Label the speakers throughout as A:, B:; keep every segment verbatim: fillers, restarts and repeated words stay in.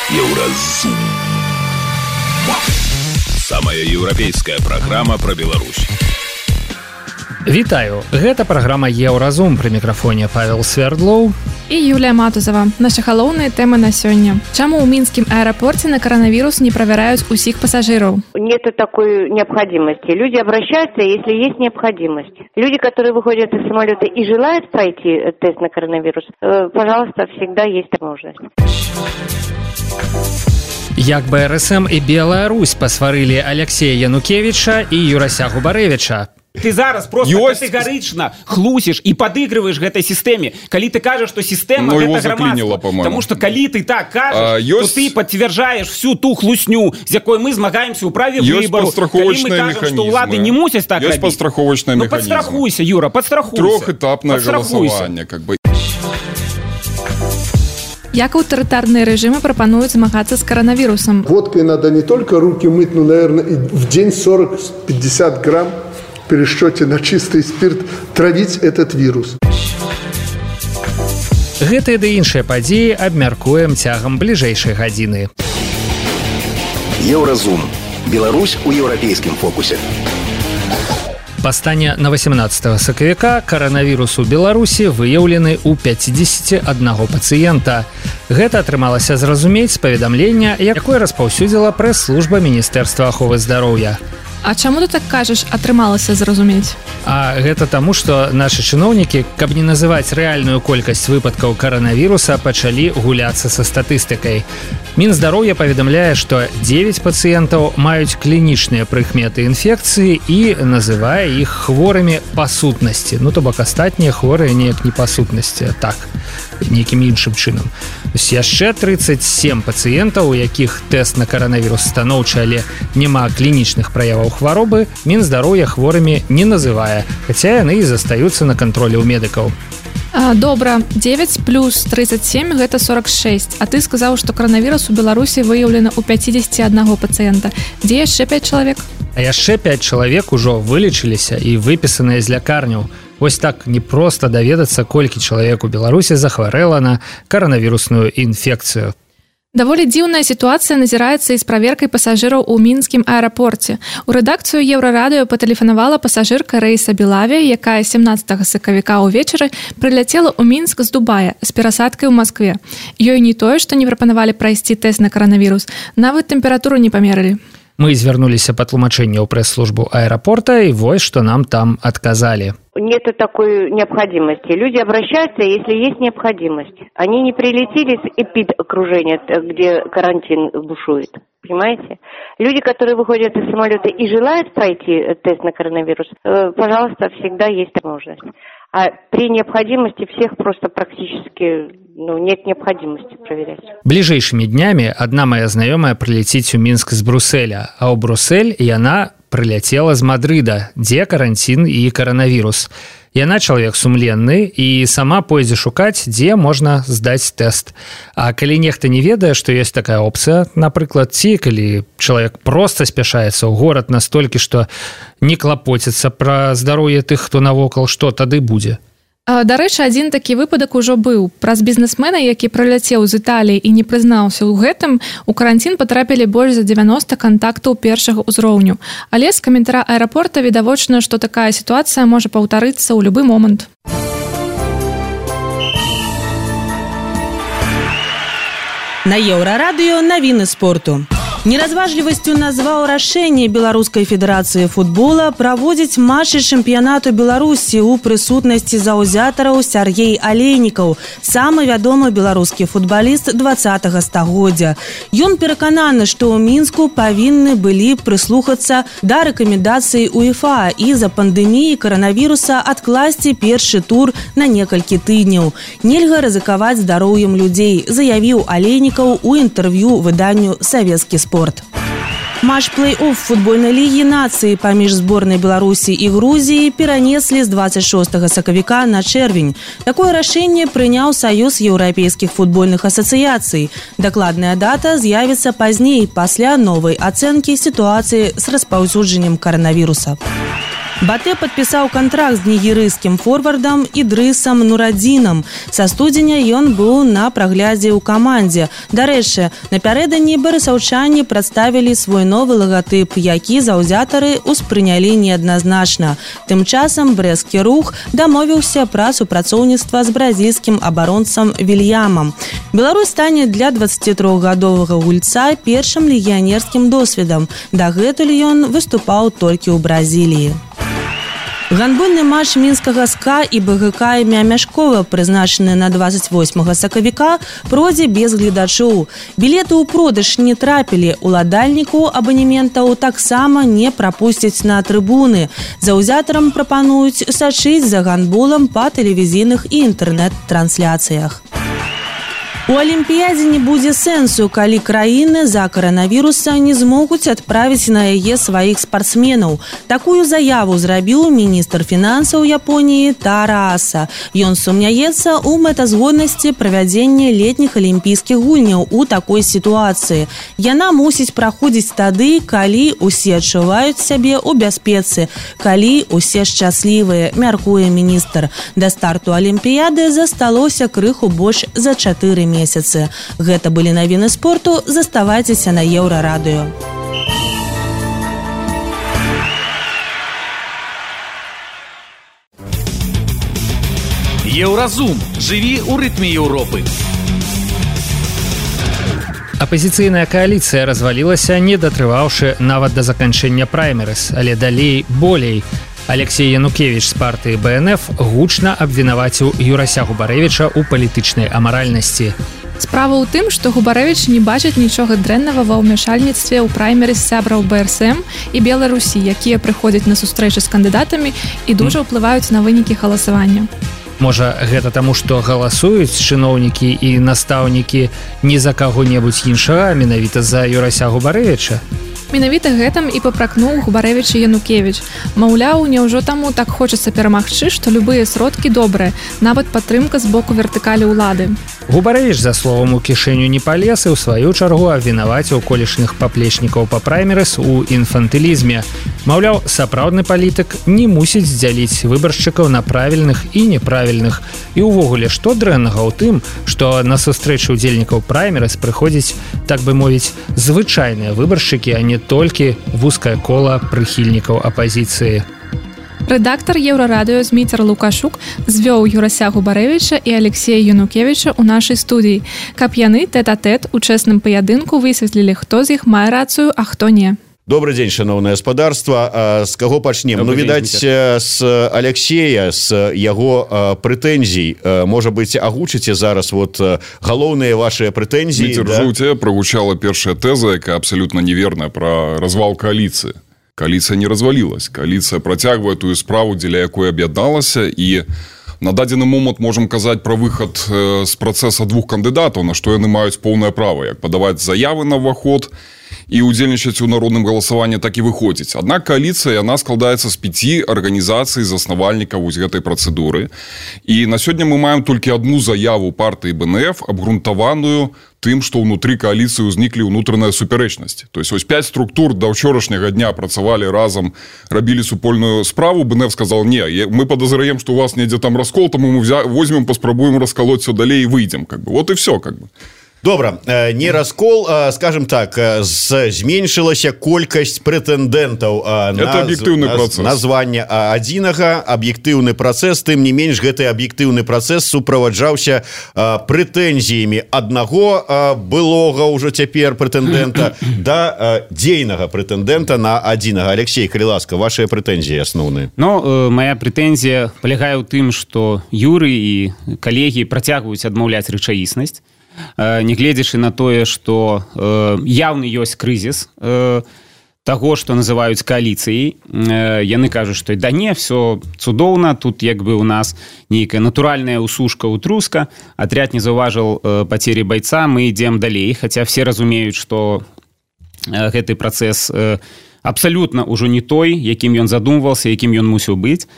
A: Еўразум. Самая еўрапейская праграма пра Беларусь.
B: Вітаю, гэта праграма Еўразум, пры мікрафоне Павел Свердлоў
C: і Юлія Матузова. Наша галоўныя тэмы на сёння. Чаму ў мінскім аэрапорце на коронавирус не проверяют усіх пассажиров?
D: Нет такой необходимости. Люди обращаются, если есть необходимость. Люди, которые выходят из самолета и желают пройти тест на коронавирус, пожалуйста, всегда есть возможность.
B: Як бэ эр эс эм і Белая Русь пасварылі Алексея Янукевича і Юрася Губарэвича.
E: Ты зараз просто Ёсть... категорично хлусишь и подыгрываешь этой системе. Коли ты кажешь, что система ну, это громадство. Потому что коли ты так кажешь, а, ёсть... то ты подтверждаешь всю ту хлусню, з якой мы змагаемся у праве выбору. Коли мы кажем, что улады не мусят так
F: есть
E: робить.
F: Ну
E: подстрахуйся, Юра, подстрахуйся.
F: Трехэтапное голосование, как бы.
C: Як аўтарытарныя рэжымы прапануюць змагацца з коронавирусом?
G: Водкой надо не только руки мыть, но, наверное, в день сорок-пятьдесят грамм в пересчете на чистый спирт травить этот вирус.
B: Гэтыя ды іншыя падзеі абмяркуем цягам бліжэйшай гадзіны.
A: Еўразум. Беларусь у еўрапейскім фокусе.
B: Па стане на восемнадцатого сакавіка коронавірус у Беларусі выяўлены ў пяцідзесяці аднаго пацыента. Гэта атрымалася зразумець з паведамлення, якое распаўсюдзіла прэс-служба Міністэрства аховы здароўя.
C: А чаму ты так кажаш, атрымалася зразумець?
B: А гэта таму, што нашы чыноўнікі, каб не называць рэальную колькасць выпадкаў коронавіруса, пачалі гуляцца са статыстыкай. Мінздароўя паведамляе, што дзевяць пацыентаў маюць клінічныя прыкметы інфекцыі і называе іх хворымі па сутнасці. Ну, то бок астатнія хворыя неяк не па сутнасці, а так, нейкім іншым чынам. Яшчэ трыццаць сем пацыентаў, у якіх тэст на коронавірус станоўчы, але няма клінічных праяваў хваробы, Мінздароўя хворымі не называе, хаця яны і застаюцца на кантролі ў медыкаў.
C: А, добра, дзевяць плюс трыццаць сем гэта сорок шэсць, а ты сказаў, што коронавірус у Беларусі выяўлена ў пяцідзесяці аднаго пацыента. Дзе яшчэ пяць чалавек?
B: А яшчэ пяць чалавек ужо вылечыліся і выпісаныя з лякарняў. Вось так непроста даведацца, колькі чалавек у Беларусі захварэла на коронавірусную інфекцыю.
C: Даволі дзіўная сітуацыя назіраецца і з праверкай пасажыраў у мінскім аэрапорце. У рэдакцыю Еўрарадыё патэлефанавала пасажырка рэйса Белавія, якая сямнаццатага сакавіка ўвечары прыляцела ў Мінск з Дубая з перасадкай у Маскве. Ёй не тое, што не прапанавалі прайсці тэст на коронавірус, нават тэмпературу не памерылі.
B: Мы звярнуліся па тлумачэнне ў прэс-службу аэрапорта, і вось што нам там адказалі.
D: Нет такой необходимости. Люди обращаются, если есть необходимость. Они не прилетели с эпид-окружения, где карантин бушует. Понимаете? Люди, которые выходят из самолета и желают пройти тест на коронавирус, пожалуйста, всегда есть возможность. А при необходимости всех просто практически ну, нет необходимости проверять.
B: Бліжэйшымі днямі адна моя знаёмая прылеціць у Мінск з Брусэля, а ў Брусэль яна прыляцела з Мадрыда, дзе карантин і коронавірус. Яна чалавек сумленны і сама пойдзе шукаць, дзе можна здаць тэст. А калі нехта не ведае, што ёсць такая опцыя, напрыклад, ці калі чалавек проста спяшаецца ў горад настолькі, што не клапоціцца пра здароўе тых, хто навокал, што тады будзе?
C: Дарэчы, адзін такі выпадак ужо быў. Праз бізнесмена, які прыляцеў з Італіі і не прызнаўся ў гэтым, у карантин патрапілі больш за дзевяноста кантактаў першага ўзроўню. Але з каментара аэрапорта відавочна, што такая сітуацыя можа паўтарыцца ў любы момант.
H: На Еўрарадыё навіны спорту. Неразважлівасцю назваў рашэнне Беларускай федэрацыі футбола праводзіць матчы чэмпіянату Беларусі ў прысутнасці заўзятараў Сяргей Алейнікаў, самы вядомы беларускі футбаліст дваццатага стагоддзя. Ён перакананы, што ў Мінску павінны былі прыслухацца да рэкамендацый УЕФА і за пандэміі каранавіруса адкласці першы тур на некалькі тыдняў. Нельга рызыкаваць здароўем людзей, заявіў Алейнікаў у інтэрв'ю выданню «Савецкі спорт». Матч плэй-офф футбольнай лігі нацыі паміж зборнай Беларусі і Грузіі перанеслі з дваццаць шостага сакавіка на чэрвень. Такое рашэнне прыняў Саюз еўрапейскіх футбольных асацыяцый. Дакладная дата з'явіцца пазней, пасля новай ацэнкі сітуацыі з распаўсюджаннем каранавіруса. Батэ падпісаў кантракт з нігерыйскім форвардам Ідрысам Нурадзінам. Са студзеня ён быў на праглядзе ў камандзе. Дарэчы, напярэдадні барысаўчане прадставілі свой новы лагатып, які заўзятары ўспрынялі неадназначна. Тым часам брэсцкі рух дамовіўся пра супрацоўніцтва з бразільскім абаронцам Вільямам. Беларусь стане для дваццацітрохгадовага гульца першым легіянерскім досведам. Дагэтуль ён выступаў толькі ў Бразіліі. Гандбольны матч мінскага СКА і БГК імя Мяшкова, прызначаны на двадцать восьмага сакавіка, пройдзе без гледачоў. Білеты ў продаж не трапілі, уладальніку абанементаў таксама не прапусцяць на трыбуны. Заўзятарам прапануюць сачыць за гандболам па тэлевізійных і інтэрнэт-трансляцыях. У Алімпіядзе не будзе сэнсу, калі краіны з-за каранавіруса не змогуць адправіць на яе сваіх спартсменаў. Такую заяву зрабіў міністр фінансаў Японіі Тара Аса. Ён сумняецца ў мэтазгоднасці правядзення летніх алімпійскіх гульняў у такой сітуацыі. Яна мусіць праходзіць тады, калі ўсе адчуваюць сябе ў бяспецы, калі ўсе шчаслівыя, мяркуе міністр. Да старту Алімпіяды засталося крыху больш за чатыры месяцы. месяцы. Гэта былі навіны спорту. Заставайцеся на Еўрарадыё.
I: Еўразум. Жыві ў рытме Еўропы.
B: Апазіцыйная кааліцыя развалілася, не датрываўшы нават да заканчэння праймерыс, але далей болей. Алексей Янукевіч з партыі БНФ гучна абвінаваціў Юрася Губарэвіча ў палітычнай амаральнасці.
C: Справа ў тым, што Губарэвіч не бачыць нічога дрэннага ва ўмяшальніцтве ў праймерыс сябраў БРСМ і Беларусі, якія прыходзяць на сустрэчы з кандыдатамі і дужа ўплываюць на вынікі галасавання.
B: Можа, гэта таму, што галасуюць чыноўнікі і настаўнікі не за каго-небудзь іншага, а менавіта за Юрася Губарэвіча?
C: Менавіта гэтым і папракнуў Губарэвіч і Янукевіч. Маўляў, няўжо таму так хочацца перамагчы, што любыя сродкі добрыя, нават падтрымка з боку вертыкалі ўлады.
B: Губарэвіч, за словам, у кішэню не палез і ў сваю чаргу абвінаваціў колішніх паплечнікаў па праймерыс у інфантылізме. Маўляў, сапраўдны палітык не мусіць здзяліць выбаршчыкаў на правільных і неправільных. І ўвогуле, што дрэннага ў тым, што на сустрэчы ўдзельнікаў праймерыс прыходзіць, так бы мовіць, звычайныя выбаршчыкі, а не толькі вузкае кола прыхільнікаў апазіцыі.
C: Рэдактар Еўрарадыё Зміцер Лукашук звёў Юрася Губарэвіча і Алексея Янукевіча ў нашай студыі, каб яны тэт-а-тэт у чэсным паядынку высветлілі, хто з іх мае рацыю, а хто не.
J: Добрый дзень, шановное господарство. С кого пачнем? Ну, видать, с Алексея, с яго прэтэнзій. Может быть, агучыце зараз вот галоўныя ваши прэтэнзіі?
F: Митер, да? У тебя прогучала першая теза, якая абсолютно неверная, про развал коалиции. Коалиция не развалилась. Коалиция протягивает ту справу, дзеля якой аб'ядналася, и на дадзены момант можем казаць про выход з процесса двух кандыдатаў, на што яны маюць поўнае права, як падаваць заявы на ўваход і удзельнічаць у народным галасаванні, так і выходзіць. Аднак коаліцыя, яна складаецца з пяці арганізацый заснавальнікаў вось гэтай працэдуры. І на сёння мы маем толькі адну заяву партыі БНФ, абгрунтаваную тым, што ўнутры коаліцыі ўзніклі ўнутраная супярэчнасць. То есть ось пяць структур да ўчорашняга дня працавалі разам, рабілі супольную справу. БНФ сказал: не, мы подозреваем, что у вас недзе там раскол, тому мы возьмем, паспрабуем расколоть все далей и выйдем. Как бы. Вот и все. Как бы.
J: Добра, не раскол, скажем так, зменшылася колькасць прэтэндэнтаў на, на, на званне адзінага, аб'ектыўны працэс, тым не менш гэты аб'ектыўны працэс суправаджаўся прэтэнзіямі аднаго былога ўжо цяпер прэтэндэнта да дзейнага прэтэндэнта на адзінага. Алексей, калі ласка, вашыя прэтэнзіі асноўныя.
E: Ну, моя прэтэнзія палягае ў тым, што Юры і калегі працягваюць адмаўляць рэчаіснасць, нягледзячы на тое, што э, яўны ёсць крызіс э, таго, што называюць кааліцыяй. Э, яны кажуць, што да не, все цудоўна, тут як бы у нас нейкая натуральная усушка, утруска, атряд не заўважыў э, пацері байца, мы ідзем далей, хаця все разумеюць, што э, гэты працэс э, абсалютна ўжо не той, якім ён задумваўся, якім ён мусіў быць.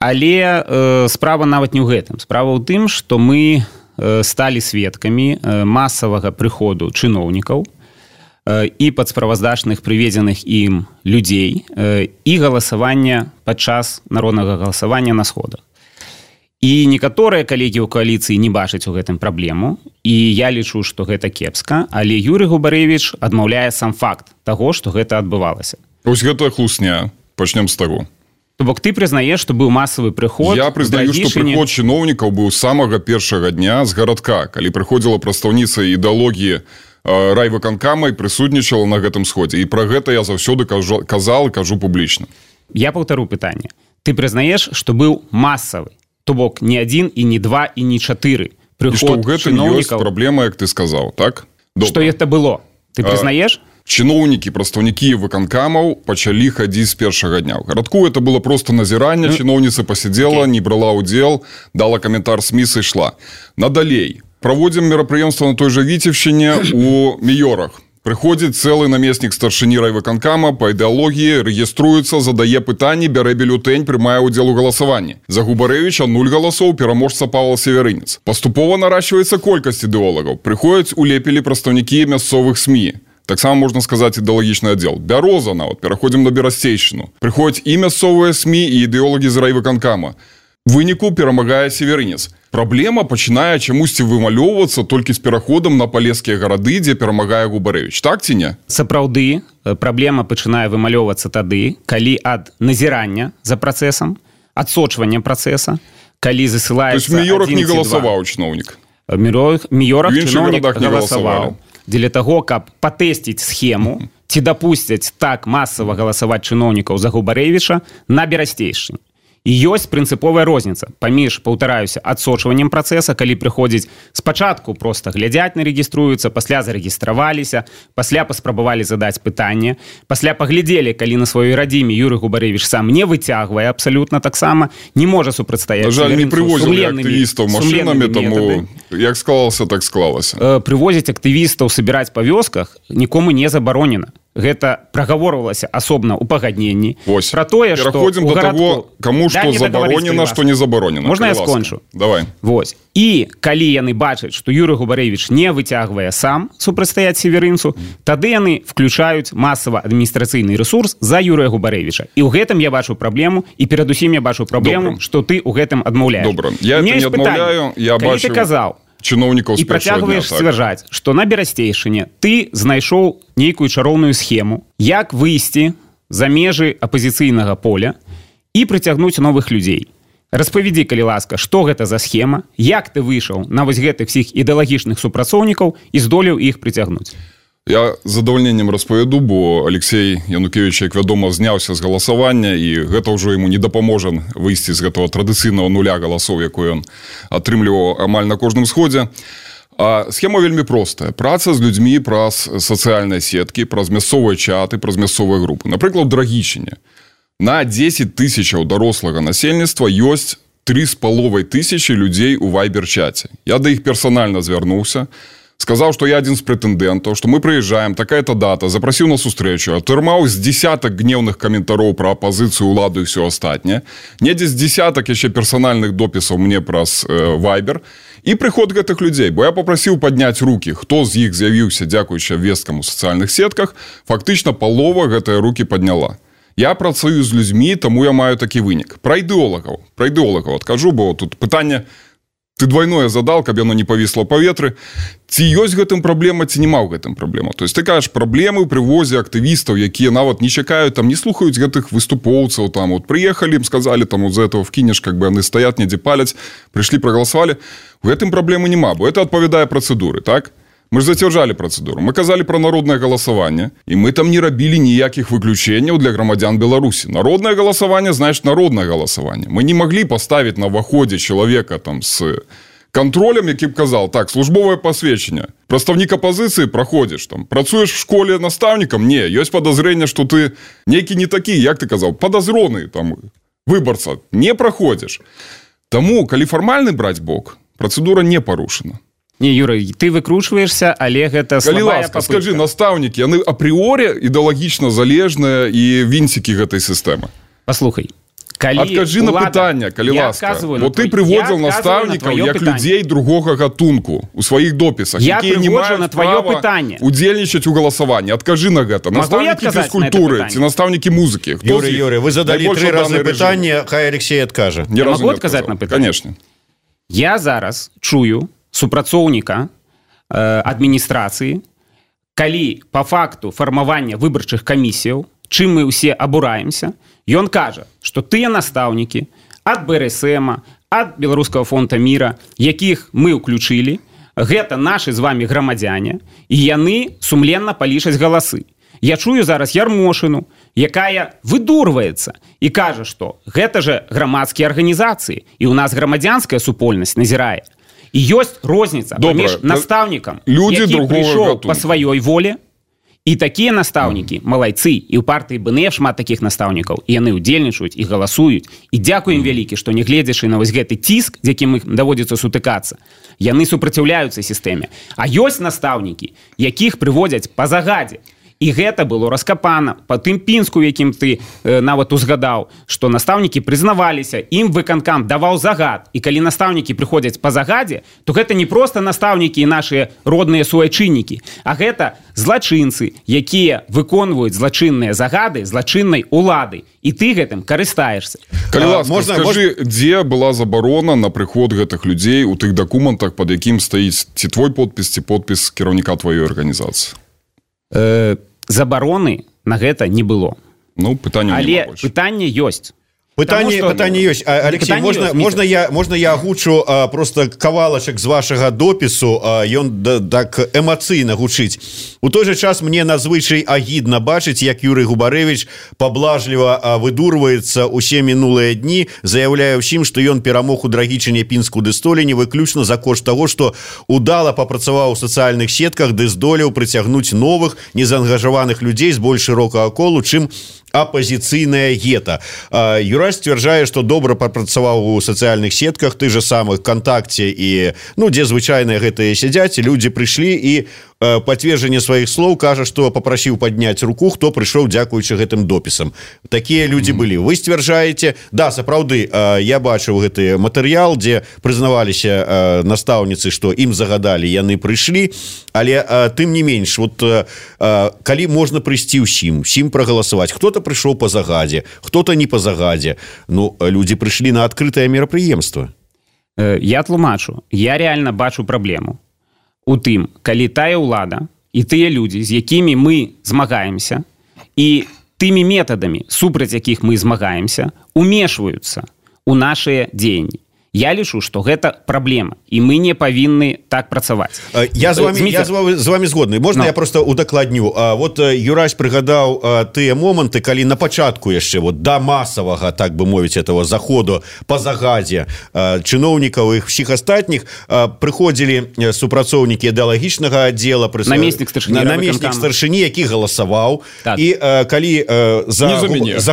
E: Але э, справа нават не ў гэтым. Справа ў тым, што мы сталі сведкамі масавага прыходу чыноўнікаў, і падсправаздачных прыведзеных ім людзей і галасавання падчас народнага галасавання на сходах. І некаторыя калегі ў кааліцыі не бачаць у гэтым праблему, і я лічу, што гэта кепска, але Юрый Губарэвіч адмаўляе сам факт таго, што гэта адбывалася.
F: Вось гэта хлусня. Пачнем з таго.
E: То бок ты прызнаеш, што быў масавы прыход.
F: Я прызнаю, што прыход чыноўнікаў быў з самага першага дня з гарадка, калі прыходзіла прадстаўніца ідэалогіі райвыканкама і прысутнічала на гэтым сходзе. І пра гэта я заўсёды казал і кажу публічна.
E: Я паўтару пытанне. Ты прызнаеш, што быў масавы, то бок не адзін і не два і не чатыры прыход чыноўнікаў. І што ў гэтым ёсць
F: праблема, як ты сказаў, так?
E: Што гэта было? Ты прызнаеш?
F: Чыноўнікі, прадстаўнікі выканкамаў пачалі хадзіць з першага дня. У гарадку это было просто назіранне, чыноўніца пасядзела, не брала ўдзел, дала каментар СМІ, сышла. Надалей. Праводзім мерапрыемства на той жа Віцебшчыне у Міёрах. Прыходзіць цэлы намеснік старшыні райвыканкама па ідэалогіі, рэгіструецца, задае пытанні, бярэ бюлетэнь, прымае ўдзел у галасаванні. За Губарэвіча нуль галасоў, пераможца Павел Северынец. Паступова наращиваецца колькасць ідэолагаў. Прыходзяць у лепілі прадстаўнікі мясцовых СМІ. Таксама можна сказаць ідэалагічны аддзел. Бяроза нават, пераходзім на Берасцейшчыну. Прыходзяць і мясцовыя СМІ, і ідэолагі з райвыканкама. Выніку перамагае Северынец. Праблема пачынае чамусьці вымалёўвацца толькі з пераходам на палескія гарады, дзе перамагае Губарэвіч. Так ці не?
E: Сапраўды, праблема пачынае вымалёўвацца тады, калі ад назірання за працэсам, адсочвання працэса, калі засылаецца...
F: То есть в Міёрах не галасаваў чыноўнік?
E: В Міёрах чыноўнік галасаваў. Дзеля таго, каб патэсціць схему, ці дапусцяць так масава галасаваць чыноўнікаў за Губарэвіча на Берасцейшчыне. І ёсць прынцыповая розніца паміж, паўтараюся, адсочваннем працэса, калі прыходзіць спачатку проста глядзяць на рэгіструюцца, пасля зарэгістраваліся, пасля паспрабавалі задаць пытанне, пасля паглядзелі, калі на сваёй радзіме Юрый Губарэвіч сам не выцягвае абсалютна таксама, не можа супрацьстаяць.
F: На жаль, не прывозілі актывістаў машынамі, таму як склалася, так склалася.
E: Прывозіць актывістаў сабіраць па вёсках нікому не забаронена. Гэта прагаворвалася асобна ў пагадненні.
F: Вось.
E: Пра тое, што
F: пераходзім
E: ў
F: да
E: гарадку...
F: таго, каму што да, забаронена, што не забаронена.
E: Можна я скончу?
F: Давай.
E: Вось. І калі яны бачаць, што Юрый Губарэвіч не выцягвае сам супрацьстаяць Северынцу, тады яны включаюць масава адміністрацыйны ресурс за Юрыя Губарэвіча. І ў гэтым я бачу праблему, і перадусім я бачу праблему, што ты ў гэтым адмаўляеш.
F: Добра. Я это не адмаўляю, я
E: калі
F: бачу...
E: ты казаў,
F: чыноўнікаў з
E: і працягваеш сцвярджаць, так, што на Берасцейшчыне ты знайшоў нейкую чароўную схему, як выйсці за межы апазіцыйнага поля і прыцягнуць новых людзей. Распавядзі, калі ласка, што гэта за схема, як ты выйшаў на вось гэтых всіх ідэалагічных супрацоўнікаў і здолеў іх прыцягнуць.
F: Я з задавальненнем распавяду, бо Алексей Янукевич, як вядома, зняўся з галасавання, і гэта ўжо яму не дапаможа выйсці з гэтага традыцыйнага нуля галасоў, якой ён атрымліваў амаль на кожным сходзе. А схема вельмі простая. Праца з людзьмі праз сацыяльныя сеткі, праз мясцовыя чаты, праз мясцовыя групы. Напрыклад, у Драгічыне на дзесяць тысячаў дарослага насельніцтва ёсць тры з паловай тысячы людзей у вайбер-чаце. Я да іх персанальна звярнуўся, сказаў, што я адзін з прэтэндэнтаў, што мы прыязджаем, такая-то дата, запрасіў на сустрэчу, атрымаў з дзесятак гневных каментароў пра апазіцыю, уладу і ўсё астатняе, недзе з дзесятак яшчэ персанальных допісаў мне праз вайбер, і прыход гэтых людзей, бо я папрасіў падняць рукі, хто з іх з'явіўся, дзякуючы абвесткам у сацыяльных сетках, фактычна палова гэтыя рукі падняла. Я працую з людзьмі, таму я маю такі вынік. Пра ідэолагаў, пра ідэолагаў адкажу, бо тут пытанне ты двойное задал, каб яно не павісла ў паветры. Ці ёсць гэтым праблема, ці няма ў гэтым праблема. То есть ты кажаш, праблемы ў прывозе актывістаў, якія нават не чакаюць, там не слухаюць гэтых выступоўцаў, там вот прыехалі, ім сказалі, там вот за этого вкінеш, как бы яны стаят, недзе паляць, прыйшлі, прагаласавалі. У гэтым праблемы няма, бо это адпавядае працэдуры, так? Мы ж зацвярджалі працэдуру. Мы казалі пра народнае галасаванне, і мы там не рабілі ніякіх выключэнняў для грамадзян Беларусі. Народнае галасаванне, значит, народнае галасаванне. Мы не маглі паставіць на ўваходзе чалавека там з кантролем, які б казал, так, службовае пасведчанне. Прадстаўнік апазіцыі праходзіш там. Працуеш в школе настаўнікам? Не, ёсць падазрэнне, што ты нейкі не такі, як ты казаў, падазроны там выбарца. Не праходзіш. Таму, калі фармальны браць бок, працэдура не парушана.
E: Не, Юра, ты выкручваешься, але гэта
F: слабая ласка, попытка. Скажи, настаўнікі, яны апрыорі ідэалагічна залежныя і вінцікі гэтай сістэмы.
E: Паслухай,
F: Адкажы на пытанне, калі ласка. Вот ты прыводзіў настаўнікаў як людзей другога гатунку у сваіх допісах, якія не маюць права удзельнічаць у галасаванні. Адкажы на гэта. Настаўнікі фізкультуры ці настаўнікі музыкі.
J: Юрий, Юрий, вы задалі тры разы пытанне, хай Алексей адкажа.
E: Я могу адказаць на пытанне?
F: Конечно.
E: Я зараз чую супрацоўніка э, адміністрацыі, калі по факту фармавання выбарчых камісіяў, чым мы ўсе абураемся, ён кажа, што тыя настаўнікі ад бэ эр эс эм, ад Беларускага фонда міра, якіх мы ўключылі, гэта нашы з вамі грамадзяне, і яны сумленна палічаць галасы. Я чую зараз Ярмошыну, якая выдурваецца і кажа, што гэта же грамадскія арганізацыі, і ў нас грамадзянская супольнасць назірае. І ёсць розніца паміж настаўнікам, які прыйшоў па сваёй волі, і такія настаўнікі, малайцы, і ў партыі бэ эн эф шмат такіх настаўнікаў, і яны ўдзельнічаюць і галасуюць. І дзякуем вялікі, што не гледзячы на вось гэты ціск, з якім ім даводзіцца сутыкацца, яны супраціўляюцца сістэме. А ёсць настаўнікі, якіх прыводзяць па загадзе. І гэта было раскапана па тым пінску, якім ты э, нават узгадаў, што настаўнікі прызнаваліся, ім выканкам даваў загад. І калі настаўнікі прыходзяць па загадзе, то гэта не проста настаўнікі і нашыя родныя суайчыннікі, а гэта злачынцы, якія выконваюць злачынныя загады злачыннай улады. І ты гэтым карыстаешся.
F: Калі ласка, можна, скажы, можна... дзе была забарона на прыход гэтых людзей у тых дакументах, пад якім стаіць ці твой подпіс, ці подпіс кіраўніка тваёй арганізацыі?
E: Э... Забароны на гэта не было.
F: Ну, пытанне
E: але пытанне ёсць.
J: Пытанне, что... пытанне ёсць. А, Алексей, пытанне можна, ёсць, можна, я, можна я агучу а, просто кавалачак з вашага допісу, а, ён да, так эмацыйна гучыць. У той же час мне надзвычай агідна бачыць, як Юрый Губарэвіч паблажліва а, выдурваецца ўсе мінулыя дні, заяўляе ўсім, што ён перамог у Драгічыне, Пінску ды Століні выключна за кошт таго, што удала папрацаваў у сацыяльных сетках, ды здолеў прыцягнуць новых незаангажаваных людзей з больш шырокага колу, чым апозіцыйная гета. Юрай сцвярджае, што добра папрацаваў у сацыяльных сетках, ты же самых ВКонтакте і, ну, дзе звычайныя гэтыя сядзяць, людзі прыйшлі і пацверджанне сваіх слоў кажа, што папрасіў падняць руку, хто прыйшоў дзякуючы гэтым допісам. Такія людзі былі. Вы сцвярджаеце, да, сапраўды, я бачыў гэты матэрыял, дзе прызнаваліся настаўніцы, што ім загадалі, яны прыйшлі, але тым не менш, вот калі можна прыйсці ўсім, усім прагаласаваць, хто-то прыйшоў па загадзе, хто-то не па загадзе, ну, людзі прыйшлі на адкрытае мерапрыемства.
E: Я тлумачу, я реально бачу праблему у тым, калі тая ўлада і тыя людзі, з якімі мы змагаемся, і тымі метадамі, супраць якіх мы змагаемся, умешваюцца у нашыя дзеянні. Я лічу, што гэта праблема, і мы не павінны так працаваць.
J: Я з вами, я з вами, з вами згодны. Можна no. я просто удакладню? Вот Юрась прыгадаў тыя моманты, калі на пачатку яшчэ вот да масавага, так бы мовіць, этого заходу па загадзе чыноўнікаў і ўсіх астатніх прыходзілі супрацоўнікі ідэалагічнага аддзела, прыс... намеснік старшыні, намеснік старшыні, які галасаваў. Так. І калі за, за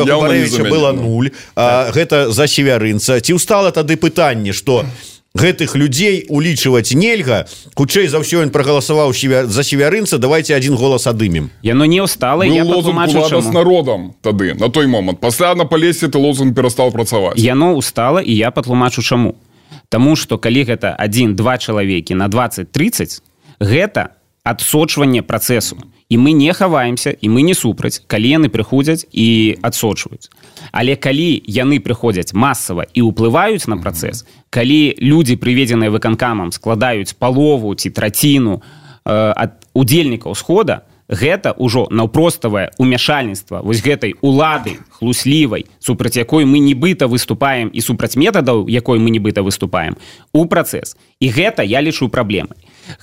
J: Губарэвіча было нуль, так. гэта за Севярынца, ці ўстала тады пытанне, што гэтых людзей улічваць нельга, хутчэй за ўсё ён прагаласаваў за Севярынца, давайте один голас адымем.
E: Яно не ўстала, я патлумачу чаму.
F: З народам тады, на той момант. Пасля на Палесе ты лозунг перастаў працаваць.
E: Яно ўстала, і я патлумачу чаму. Таму што калі гэта адзін-два чалавекі на дваццаць-трыццаць, гэта адсочванне працэсу. І мы не хаваемся, і мы не супраць, калі яны прыходзяць і адсочваюць. Але калі яны прыходзяць масава і ўплываюць на працэс, калі людзі, прыведзеныя выканкамам, складаюць палову ці траціну э, ад удзельнікаў схода, гэта ўжо наўпроставае умяшальніцтва вось гэтай улады хлуслівай, супраць якой мы нібыта выступаем, і супраць метадаў, якой мы нібыта выступаем, у працэс. І гэта я лічу праблемай.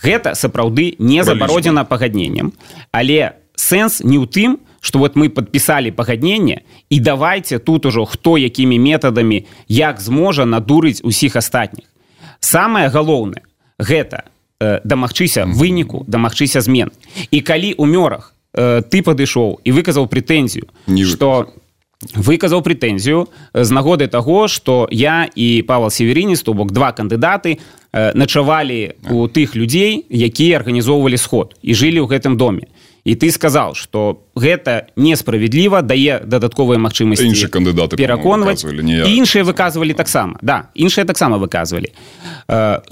E: Гэта сапраўды не забародзена пагадненнем, але сэнс не ў тым, што вот мы падпісалі пагадненне, і давайте тут ужо хто якімі метадамі як зможа надурыць усіх астатніх. Самае галоўнае гэта э, дамагчыся выніку, дамагчыся змен. І калі ў мёрах э, ты падышоў і выказаў прэтэнзію, што выказаў прэтэнзію з нагоды таго, што я і Павел Северинец, то бок два кандыдаты, начавалі у тых людзей, якія арганізоўвалі сход і жылі ў гэтым доме. і ты сказал, что гэта несправядліва, дае дадатковыя магчымасці
F: іншыя кандыдаты
E: пераконваць, і іншыя выказвалі таксама. Да, іншыя таксама выказвалі.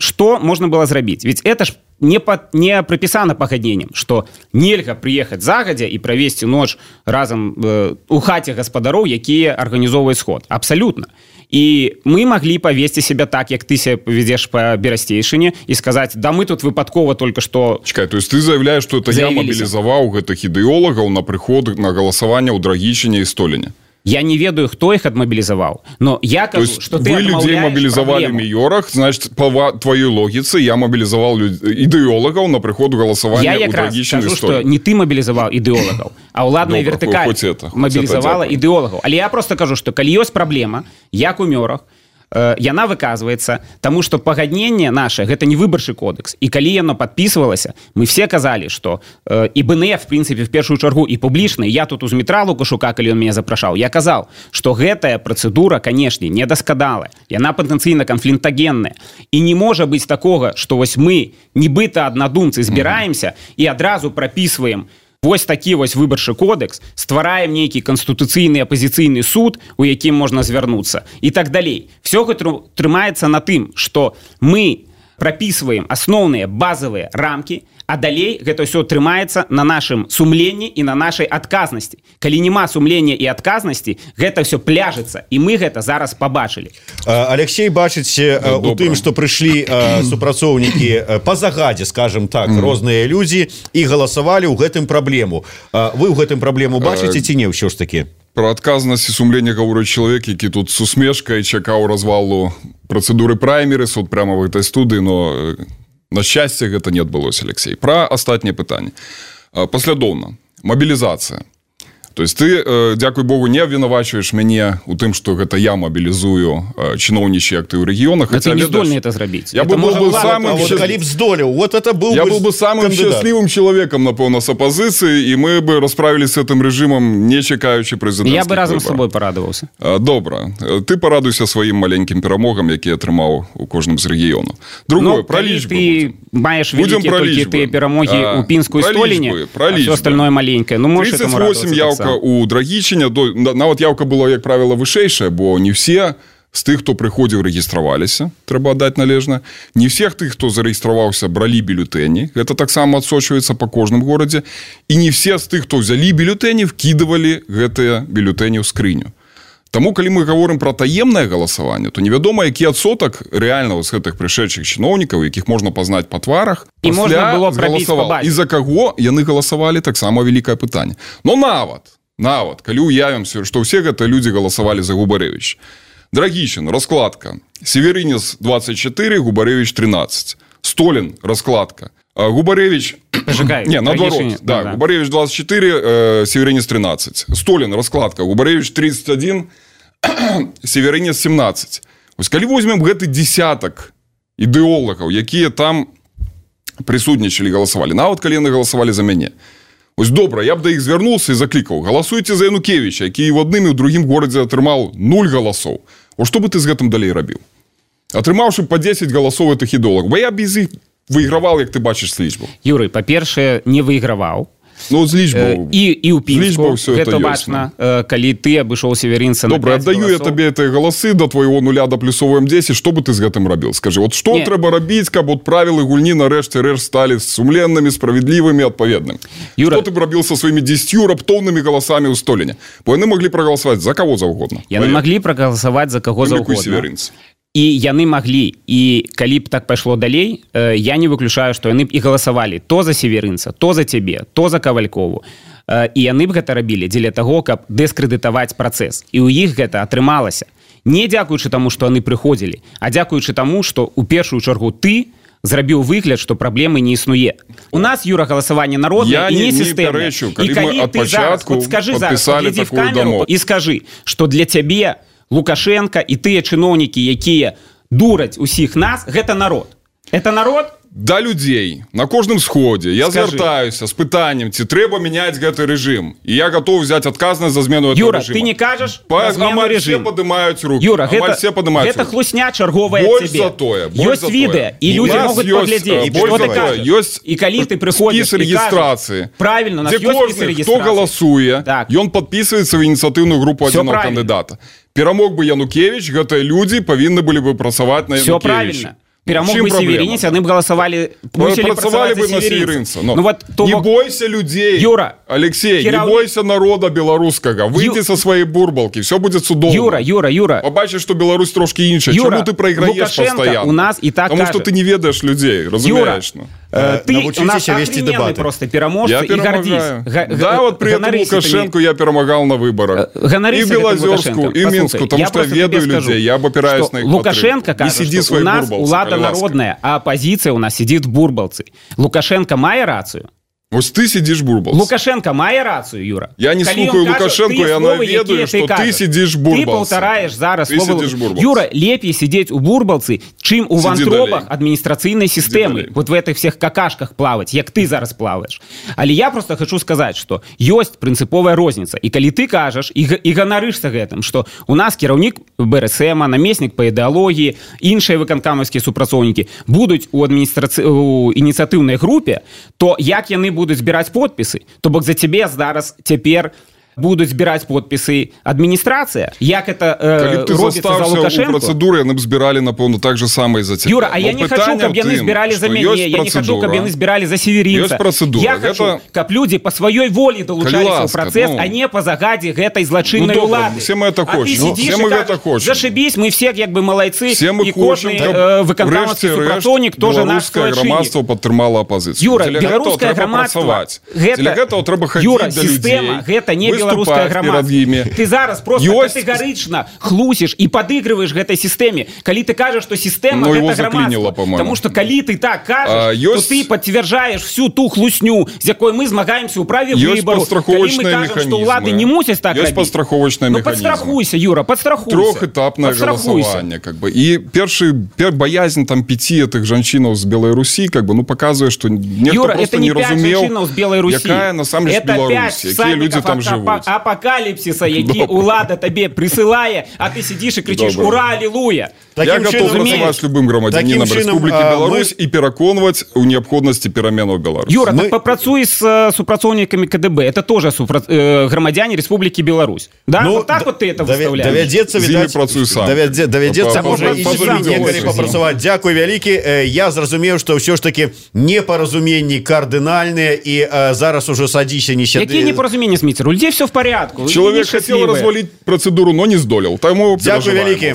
E: Што можна было зрабіць? Ведь это ж не, па, не прапісана пагадненнем, што нельга прыехаць загадзя і правесці ноч разам э, у хаце гаспадароў, якія арганізоўваюць сход. Абсалютна. І мы маглі павесці себя так, як ты себя поведзеш па Берасцейшыне і сказаць, да мы тут выпадкова только што...
F: Чакай, то есть ты заявляешь, что это я мобілізаваў гэтых ідэолагаў на прыход на галасаванне ў Драгічыне і Століне?
E: Я не ведаю, хто их отмобилизовал, но я кажу, что ты
F: вы людей мобилизовали в майорах, значит, по твоей логике я мобилизовал люд... идеологов на приход голосования
E: я
F: у Драгічыны
E: и Століне. Я скажу, что не ты мобилизовал идеологов, а уладная вертикаль мобилизовала идеологов. Але я просто кажу, что калі ёсць проблема, як у мёрах, яна выказваецца, таму што пагадненне наше гэта не выбарчы кодекс, і калі яно падпісвалася, мы все казалі, што э, і БНФ в прынцыпе в першую чаргу і публічна, я тут у Змітра Лукашука, калі ён мяне запрашаў, я казаў, што гэтая працэдура, канешне, не даскадалая, яна патэнцыйна канфліктагенная, і не можа быць такога, што вось мы нібыта аднадумцы збіраемся mm-hmm. і адразу прапісваем вось такі вось выбарчы кодекс, ствараем нейкі канстытуцыйны апазіцыйны суд, у якім можна звярнуцца, і так далей. Всё гэта трымаецца на тым, што мы прапісваем асноўныя базавыя рамкі, а далей гэта ўсё трымаецца на нашым сумленні і на нашай адказнасці. Калі няма сумлення і адказнасці, гэта ўсё пляжыцца, і мы гэта зараз пабачылі.
J: Алексей бачыць да, у тым, што прыйшлі супрацоўнікі па загадзе, скажем так, mm. розныя людзі і галасавалі ў гэтым праблему. Вы ў гэтым праблему бачыце ці не ўсё ж такі?
F: Про адказнасць і сумленне гаворыць чалавек, які тут с усмешкай чакаў развалу працэдуры праймерыс от прямо в гэтай студыі, но на шчасце гэта не адбылося, Алексей. Пра астатняе пытанне. Паслядоўна. Мабілізацыя. То есть ты, дзякуй Богу, не абвінавачваеш мяне у тым, што гэта я мабілізую чыноўнічыя актывы ў рэгіёнах.
E: Ты не здольны это зрабіць.
F: Я
E: это
F: был бы самым
J: здолеў. Вот это был
F: я был бы самым кандидат. Счастливым человеком, напэўна, с оппозиции, и мы бы расправились с этим режимом, не чекаючи президентских
E: Я бы разом
F: выборов.
E: с тобой порадовался.
F: Добра. Ты порадуйся своим маленьким перамогам, які атрымаў у кожным з рэгіёнаў. Другое, про лічбы.
E: Ты маеш вялікія толькі тыя перамогі ў Пінску і Століне, а все остальное маленькое. Ну, можешь этому радоваться.
F: тридцать восемь явка у Драгічыне, нават явка была, як правіла, вышэйшая, бо не все з тых, хто прыходзіў, рэгістраваліся, трэба аддаць належна. Не всех тых, хто зарэгістраваўся, бралі бюлетэні. Гэта таксама адсочваецца па кожным горадзе. І не все з тых, хто взялі бюлетэні, вкідывалі гэтыя бюлетэні ў скрыню. Таму, калі мы гаворым пра таемнае галасаванне, то невядома, які адсотак рэальна з гэтых прышэдшых чыноўнікаў, якіх можна пазнаць па тварах,
E: і можна было прабіць па базе.
F: І за каго яны галасавалі, таксама вялікае пытанне. Но нават Нават, калі уявімся, што ўсе гэта людзі галасавалі за Губарэвіч. Драгічын, раскладка. Северинец двадцать четыре, Губарэвіч тринадцать. Столин, раскладка. Губарэвіч...
E: Пожигай.
F: Не, наоборот. Да, да. Губарэвіч двадцать четыре, Северинец тринадцать. Столин, раскладка. Губарэвіч тридцать один, Северинец семнадцать. Вось калі возьмем гэты десятак ідэолагаў, якія там прысутнічалі, галасавалі. Нават калі яны галасавалі за мяне. Ось добра, я б да іх звярнуўся і заклікаў. Галасуйце за Янукевіча, які і ў адным і ў другім горадзе атрымаў нуль галасоў. О, што бы ты з гэтым далей рабіў? Атрымаўшы па дзесяць галасоў гэтых ідэолагаў. Бо я без іх выйграваў, як ты бачыш з лічбу.
E: Юрый, па-першае, не выйграваў.
F: Ну, з лічбаў.
E: І, і ў Пінску. Гэта бачна, калі ты абышоў Северинца на
F: добра, аддаю я табе гэтыя галасы да твайго нуля даплюсоваем дзесяць. Што бы ты з гэтым рабіў? Скажы, от што трэба рабіць, каб от правілы гульні нарэшце рэш сталі сумленнымі, справядлівымі, адпаведнымі? Юра... Што ты б рабіў са сваімі дзесяццю раптоўнымі галасамі ў Століне? Бо яны маглі прагаласаваць за каго заўгодна.
E: Яны маглі прагаласаваць за каго заўгодна. І яны маглі, і калі б так пайшло далей, э, я не выключаю, што яны б і галасавалі то за Северинца, то за цябе, то за Кавалькову. Э, і яны б гэта рабілі дзеля таго, каб дыскрэдытаваць працэс. І ў іх гэта атрымалася. Не дзякуючы таму, што яны прыходзілі, а дзякуючы таму, што ў першую чаргу ты зрабіў выгляд, што праблемы не існуе. У нас, Юра, галасаванне народнае і не сістэмнае. І калі ты зараз, от скажы зараз, глядзі в камеру і скажы, што для цябе Лукашенко і тыя чыноўнікі, якія дураць усіх нас, гэта народ. Это народ?
F: Да людзей на кожным сходзе я звяртаюся з пытаннем ці трэба мяняць гэты рэжым і я готов взять адказнасць за змену этого
E: Юра,
F: режима.
E: ты не кажаш
F: все падымаюць руки.
E: Юра, гэта,
F: все падымаюць
E: гэта хлусня чарговая
F: больш
E: тебе.
F: За тое,
E: ёсць відэа і людзі могуць паглядзець што ты кажаш.
F: Ёсць
E: і калі ты прыходзіш
F: рэгістрацыі
E: правильно, у нас ёсць спіс рэгістрацыі.
F: Хто галасуе так. Ён подписываецца в ініцыятыўную групу адзінога кандыдата. Перамог бы Янукевич, гэтыя людзі павінны былі бы працаваць на Янукевича.
E: Все правильно. Перамог бы Северинец, яны б галасавалі, мусілі працаваць за Северинца.
F: Ну, вот, то... Не бойся людей,
E: Юра,
F: Алексей, Киров... не бойся народа беларускага. Выйди Ю... со своей бурбалки, все будет судовно.
E: Юра, Юра, Юра.
F: Побачишь, что Беларусь трошки іншая.
E: Юра,
F: чему ты проиграешь
E: Лукашенко
F: постоянно?
E: У нас и так
F: Потому
E: кажет.
F: что ты не ведаешь людей, разумеешь?
E: Юра, э, ты у нас охрененный просто переможца и гордись.
F: Г- да, вот при этом Лукашенко я перемогал на выборах.
E: И
F: в Белозерску, и в Минску, потому что я ведаю людей, я опираюсь на их
E: Лукашенко кажет, что у нас улада народная, а оппозиция у нас сидит в бурбалцы. Лукашенко мае рацию.
F: Вот ты сидишь в бурбалце.
E: Лукашенко мае рацию, Юра.
F: Я не Калі слухаю Лукашенко, я наведаю, что ты сидишь в бурбалце.
E: Ты полтораешь зараз
F: ты
E: слово... Юра, лепей сидеть у бурбалцы, чим у вантробах административной системы. Вот в этих всех какашках плавать, як ты зараз плаваешь. Але я просто хочу сказать, что есть принциповая розница. И коли ты кажешь, и, и ганарышься гэтым, что у нас кіраўнік БРСМ, намеснік по идеологии, іншыя выканкамаўскія супрацоўнікі будут у, адміністрацы... у ініцыятыўнай групе, то як яны будут збирать подписы, то бок за тебе зараз цяпер будут збирать подписы администрация. Як это э, робится за Лукашенко?
F: У процедуры яны б збирали, напэўна, так же самое за тебя.
E: Юра, а я не хочу, каб яны збирали за мяне, я не хочу, каб яны збирали за Северинца. Я хочу, это... каб люди по своей воле долучались в процесс, ну... а не по загаде гэтай злочинной
F: ну,
E: улады.
F: Все мы это
E: а
F: хочем.
E: Ну, все мы это хочем. Зашибись, мы все как бы молодцы.
F: Все мы
E: и
F: хочем,
E: э, выканкамаўскі супрацоўнік тоже наш
F: белорусское громадство подтрымала оппозицию.
E: Юра, белорусское громадство,
F: гэта...
E: Юра, система, гэта не белорусское громадство. Ты зараз просто Ёсть... категорично хлусишь и подыгрываешь этой системе. Коли ты кажешь, что система
F: ну,
E: это громадство. Потому что коли ты так кажешь, а, ёсть... то ты подтверждаешь всю ту хлусню, с якой мы змагаемся у праве выбору. Коли мы кажем, что улады не мусят так
F: есть
E: робить.
F: Подстраховочные
E: ну,
F: механизмы.
E: Подстрахуйся, Юра, подстрахуйся.
F: Трехэтапное голосование. Как бы. И первый, первый боязнь там, пяти этих женщин с Белоруссии как бы, ну, показывает, что некто
E: Юра,
F: просто
E: это не
F: не
E: пять женщин с Белоруссии.
F: Какая на самом деле Беларусь, какие люди там живут.
E: Апокалипсиса, які улада табе присылае, а ты сидишь и кричишь Добрый. Ура, аллилуйя.
F: Я готов працаваць з любым грамадзянінам Рэспублікі Беларусь мы... і пераконваць у неабходнасці пераменаў Беларусь.
E: Юра, мы... так попрацуй с супрацоўнікамі КДБ. Это тоже супра... э, грамадзяне Республики Беларусь. Да? Ну, вот так да, вот ты это выставляешь.
J: Давядзецца, відаць,
F: працую сам.
J: Давядзецца, можа, і некалі папрацаваць. Дзякуй вялікі. Я зразумеў, што ўсё ж таки непаразуменні кардынальныя і э, зараз уже садзіся не сяды.
E: Какие непаразумения, Смитер? У людей все в порядку.
F: Человек хотел развалить процедуру, но не здолел.
J: Дзякуй вялікі.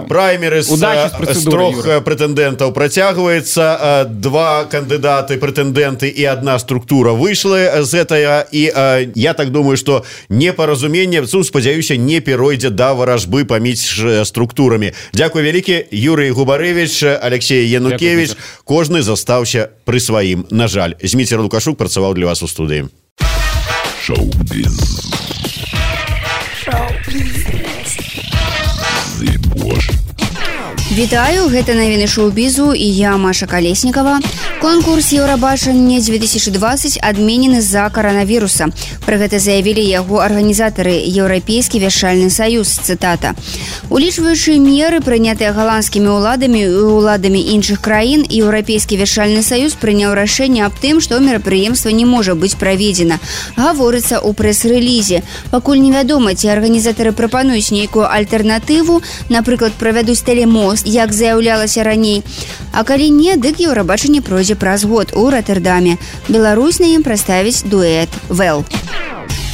J: Праймеры з трох прэтэндэнтаў працягваецца. Два кандыдаты, прэтэндэнты і одна структура выйшлі з гэтага. І я так думаю, што непаразуменне, спадзяюся, не перайдзе да варажбы паміж структурамі. Дзякуй вялікі. Юрый Губарэвіч, Алексей Янукевич. Кожны застаўся пры сваім. На жаль, Зміцер Лукашук працаваў для вас у студыі.
A: Шоу-біз.
K: Вітаю, гэта навіны шоу-бізу і я, Маша Калеснікова. Конкурс Еўрабачання две тысячи двадцать адменены з-за каранавіруса. Пра гэта заявілі яго арганізатары Еўрапейскі вяшальны саюз, цытата. Улічваючы меры, прынятыя галандскімі ўладамі і ўладамі іншых краін, Еўрапейскі вяшальны саюз прыняў рашэнне аб тым, што мерапрыемства не можа быць праведзена. Гаворыцца ў прэс-рэлізе. Пакуль невядома, ці арганізатары прапануюць нейкую альтэрнатыву, напрыклад, правядуць тэлемост, як заяўлялася раней. А калі не, дык Еўрабачанне пройдзе праз год у Роттердаме. Беларусь на ім прадставіць дуэт «Вэл».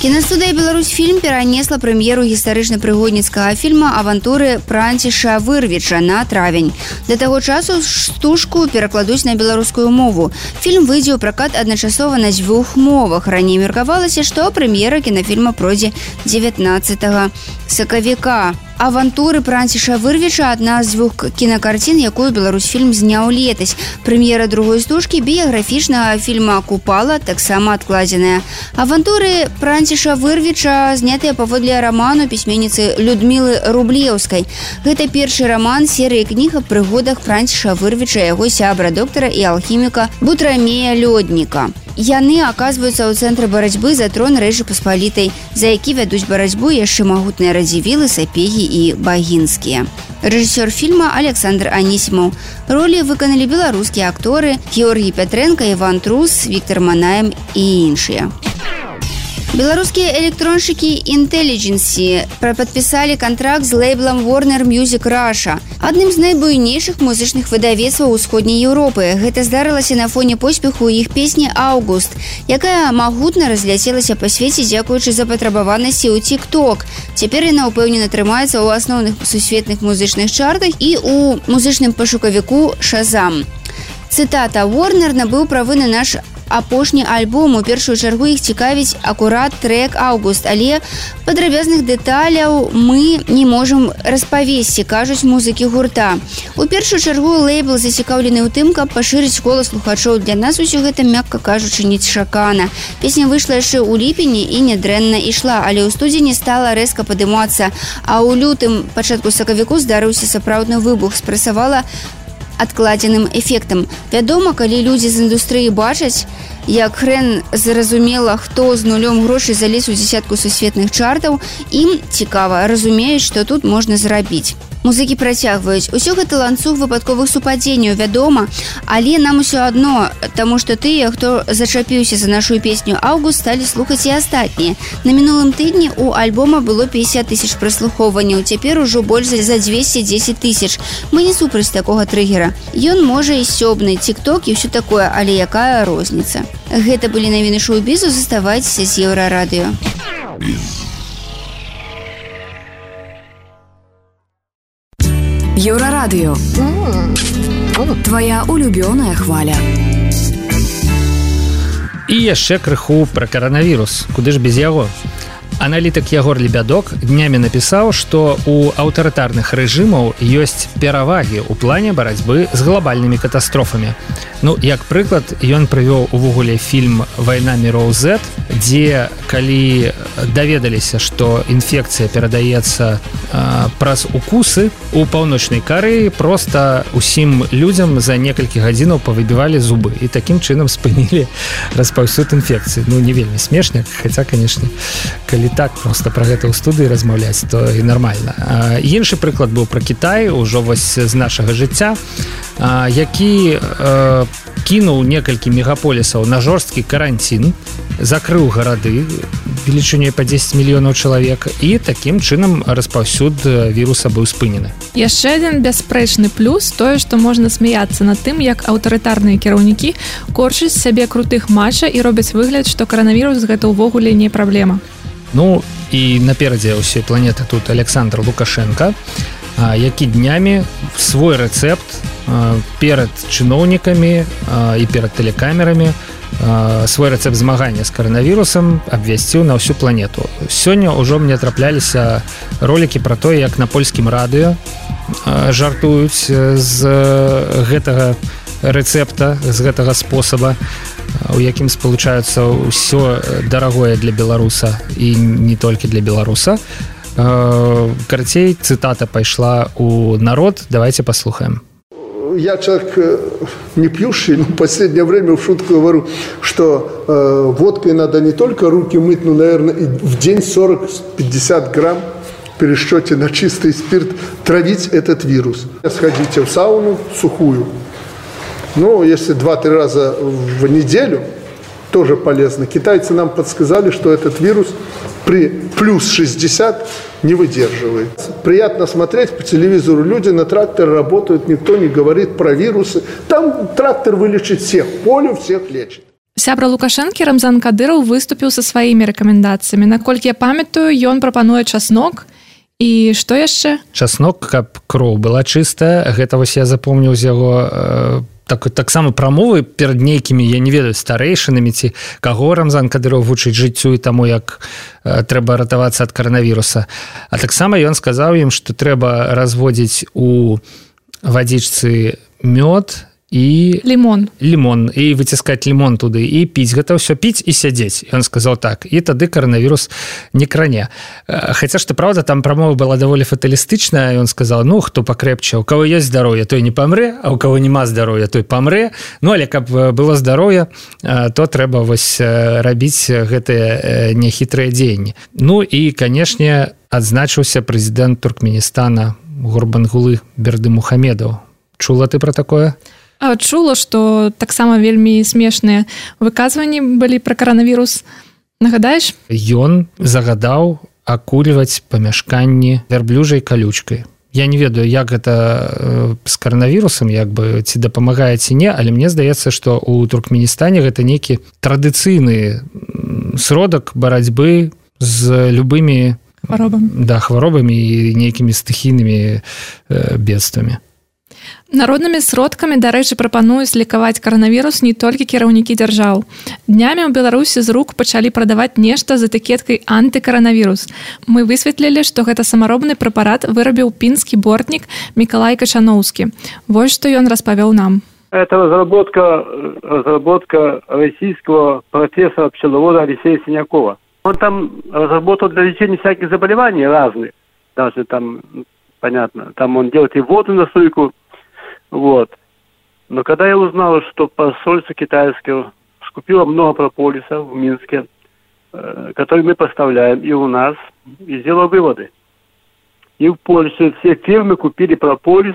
K: Кінастудыя «Беларусьфільм» перанесла прэм'еру гістарычна-прыгодніцкага фільма «Авантуры Пранціша Вырвіча» на травень. Да таго часу стужку перакладуць на беларускую мову. Фільм выйдзе ў пракат адначасова на дзвюх мовах. Раней меркавалася, што прэм'ера кінафільма пройдзе дзевятнаццатага сакавіка. «Авантуры Франціша Вырвіча» – адна з дзвюх кінакарцін, якую Беларусьфільм зняў летась. Прэм'ера другой стужкі біяграфічнага фільма «Купала» таксама адкладзеная. «Авантуры Франціша Вырвіча» знятыя паводле раману пісьменніцы Людмілы Рублеўскай. Гэта першы раман серыі кніг аб прыгодах Франціша Вырвіча, яго сябра, доктара і алхіміка Бутрамея Лёдніка. Яны аказваюцца ў цэнтры барацьбы за трон Рэчы Паспалітай, за які вядуць барацьбу яшчэ магутныя радзівілы, сапегі і багінскія. Рэжысёр фільма Александр Анісімаў. Ролі выканалі беларускія акторы Георгій Пятрэнка, Іван Трус, Віктор Манаем і іншыя. Беларускія электроншчыкі Intelligency падпісалі кантракт з лейблам Warner Music Russia, адным з найбуйнейшых музычных выдавецтваў усходняй Еўропы. Гэта здарылася на фоне поспеху іх песні «Аўгуст», якая магутна разляцелася па свеце дзякуючы запатрабаванасці ў TikTok. Цяпер яна ўпэўнена трымаецца ў асноўных сусветных музычных чартах і ў музычным пашукавіку Shazam. Цытата: «Warner набыў правы на наш апошні альбом. У першую чаргу іх цікавіць акурат трек «Аўгуст», але падрабязных дэталяў мы не можам распавесці», кажуць музыкі гурта. У першую чаргу лейбл зацікаўлены ў тым, каб пашырыць кола слухачоў. Для нас усё гэта, мякка кажучы, нечакана. Песня выйшла яшчэ ў ліпені і нядрэнна ішла, але ў студзені стала рэзка падымацца, а ў лютым, пачатку сакавіку здарыўся сапраўдны выбух, спрасавала адкладзеным эфектам. Вядома, калі людзі з індустрыі бачаць, як хрен зразумела, хто з нулём грошай залез у дзесятку сусветных чартаў, ім цікава, разумеюць, што тут можна зрабіць. Музыкі працягваюць. Усё гэта ланцуг выпадковых супадзенняў, вядома, але нам усё адно, таму што тыя, хто зачапіўся за нашу песню «Аўгуст», сталі слухаць і астатнія. На мінулым тыдні у альбома было пятьдесят тысяч праслухоўванняў, цяпер ужо больш за двести десять тысяч. Мы не супраць такога трыгера. Ён можа і сёбны, TikTok і ўсё такое, але якая розніца. Гэта былі навіны шоу-бізу, заставайцеся з Еўрарадыё.
L: Еўрарадыё. Твоя улюбёная хваля.
B: І яшчэ крыху пра каранавірус. Куды ж без яго? Аналітык Ягор Лебядок днямі напісаў, што ў аўтарытарных рэжымаў ёсць перавагі ў плане барацьбы з глобальнымі катастрофамі. Ну, як прыклад, ён прывёў увогуле фільм «Вайна міроў Z», дзе, калі даведаліся, што інфекцыя перадаецца а, праз укусы, у паўночнай Карэі проста усім людзям за некалькі гадзінаў павыбівалі зубы і такім чынам спынілі распаўсюд інфекцыі. Ну, не вельмі смешна, хаця, канешне, калі так проста пра гэта ў студыі размаўляць, то і нармальна. А, іншы прыклад быў пра Кітай, ужо вось з нашага жыцця, а, які а, кінуў некалькі мегаполісаў на жорсткі каранцін, закрыў гарады велічынёй па дзесяць мільёнаў чалавек, і такім чынам распаўсюд віруса быў спынены.
C: Яшчэ адзін бясспрэчны плюс тое, што можна смяяцца над тым, як аўтарытарныя кіраўнікі корчаць сябе крутых матча і робяць выгляд, што каранавірус гэта ўвогуле не праблема.
B: Ну, і наперадзе ўсёй планеты тут Александр Лукашенко, які днямі свой рэцэпт перад чыноўнікамі і перад тэлекамерамі, свой рэцэпт змагання з каранавірусам абвясціў на ўсю планету. Сёння ўжо мне трапляліся ролікі пра тое, як на польскім радыё жартуюць з гэтага рэцэпта, з гэтага спосаба, у якім спалучаюцца ўсё дарагое для беларуса і не толькі для беларуса. Карацей, цытата пайшла ў народ. Давайте послухаем.
G: Я человек не пьющий, но в последнее время в шутку говорю, что э, водкой надо не только руки мыть, но, наверное, и в день сорок-пятьдесят грамм в пересчете на чистый спирт травить этот вирус. Сходите в сауну сухую. Ну, если два-три раза в неделю, тоже полезно. Китайцы нам подсказали, что этот вирус при плюс шестьдесят не выдерживает. Приятно смотреть по телевизору. Люди на тракторе работают, никто не говорит про вирусы. Там трактор вылечит всех, поле всех лечит.
C: Сябра Лукашэнкі Рамзан Кадыраў выступіў са сваімі рэкамендацыямі. Наколькі я памятаю, ён прапануе часнок. І што яшчэ?
B: Часнок, каб кроў была чыстая. Гэта вось я запомніў з яго так таксама прамовы перад нейкімі, я не ведаю, старэйшынамі ці каго Рамзан Кадыров вучыць жыццю і таму, як э, трэба ратавацца ад каранавіруса. А таксама ён сказаў ім, што трэба разводзіць у вадзічцы мёд і
C: лімон
B: лімон і выціскаць лімон туды і піць, гэта ўсё піць і сядзець. Ён сказаў так, і тады каранавірус не кране. Хаця што праўда, там прамова была даволі фаталістычная. Ён сказаў, ну хто пакрэпче, у кого ёсць здароўе, той не памрэ, а у кого няма здароўя, той памрэ. Ну але каб было здароўе, то трэба вось рабіць гэтыя няхітрыя дзеянні. Ну і канешне, адзначыўся прэзідэнт Туркменістана Гурбангулы Бердымухамедаў. Чула ты пра такое?
C: Чула, што таксама вельмі смешныя выказванні былі пра каранавірус. Нагадаеш?
B: Ён загадаў акульваць памяшканні вярблюжай калючкай. Я не ведаю, як гэта з каранавірусам, як бы ці дапамагае ці не, але мне здаецца, што ў Туркменістане гэта нейкі традыцыйны сродак барацьбы з любымі
C: хваробамі,
B: да, хваробамі і нейкімі стыхійнымі э, бедствамі.
C: Народнымі сродкамі, дарэчы, прапануюць лікаваць каранавірус не толькі кіраўнікі дзяржаў. Днямі ў Беларусі з рук пачалі прадаваць нешта з этыкеткай антыкаранавірус. Мы высветлілі, што гэта самаробны прэпарат вырабіў пінскі бортнік Мікалай Качаноўскі. Вось што ён распавёў нам.
L: Это разработка, разработка российского профессора-пчеловода Алексея Синякова. Он там разработал для лечения всяких заболеваний разных. Даже там, понятно, там он делает и воду на стойку. Вот. Но когда я узнал, что посольство китайское скупило много прополиса в Минске, э, который мы поставляем и у нас, и сделал выводы. И в Польше все фирмы купили прополис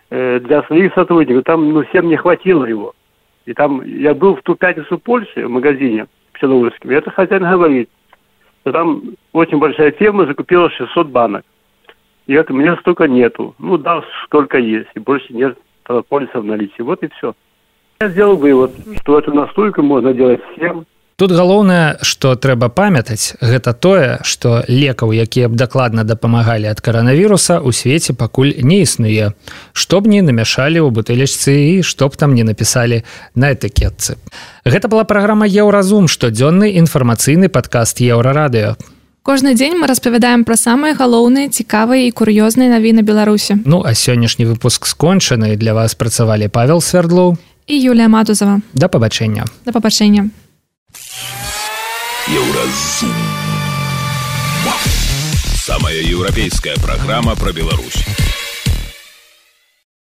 L: э, для своих сотрудников. Там ну, всем не хватило его. И там я был в ту пятницу в Польше в магазине пчеловодском, и это хозяин говорит, что там очень большая фирма закупила шестьсот банок. И это у меня столько нету. Ну да, сколько есть, и больше нет прополиса в наличии. Вот и все. Я сделал вывод, что эту настойку можно делать всем.
B: Тут галоўнае, што трэба памятаць, гэта тое, што лекаў, якія б дакладна дапамагалі ад каранавіруса, у свеце пакуль не існуе. Што б не намяшалі ў бутэлечцы і што б там не напісалі на этыкетцы. Гэта была праграма «Еўразум», штодзённы інфармацыйны падкаст Еўрарадыё.
C: Кожны дзень мы распавядаем пра самыя галоўныя, цікавыя і кур'ёзныя навіны Беларусі.
B: Ну, а сённяшні выпуск скончаны. Для вас працавалі Павел Свердлоў
C: і Юлія Матузова.
B: Да пабачэння.
C: Да пабачэння.
A: Еўразум. Самая еўрапейская праграма пра Беларусь.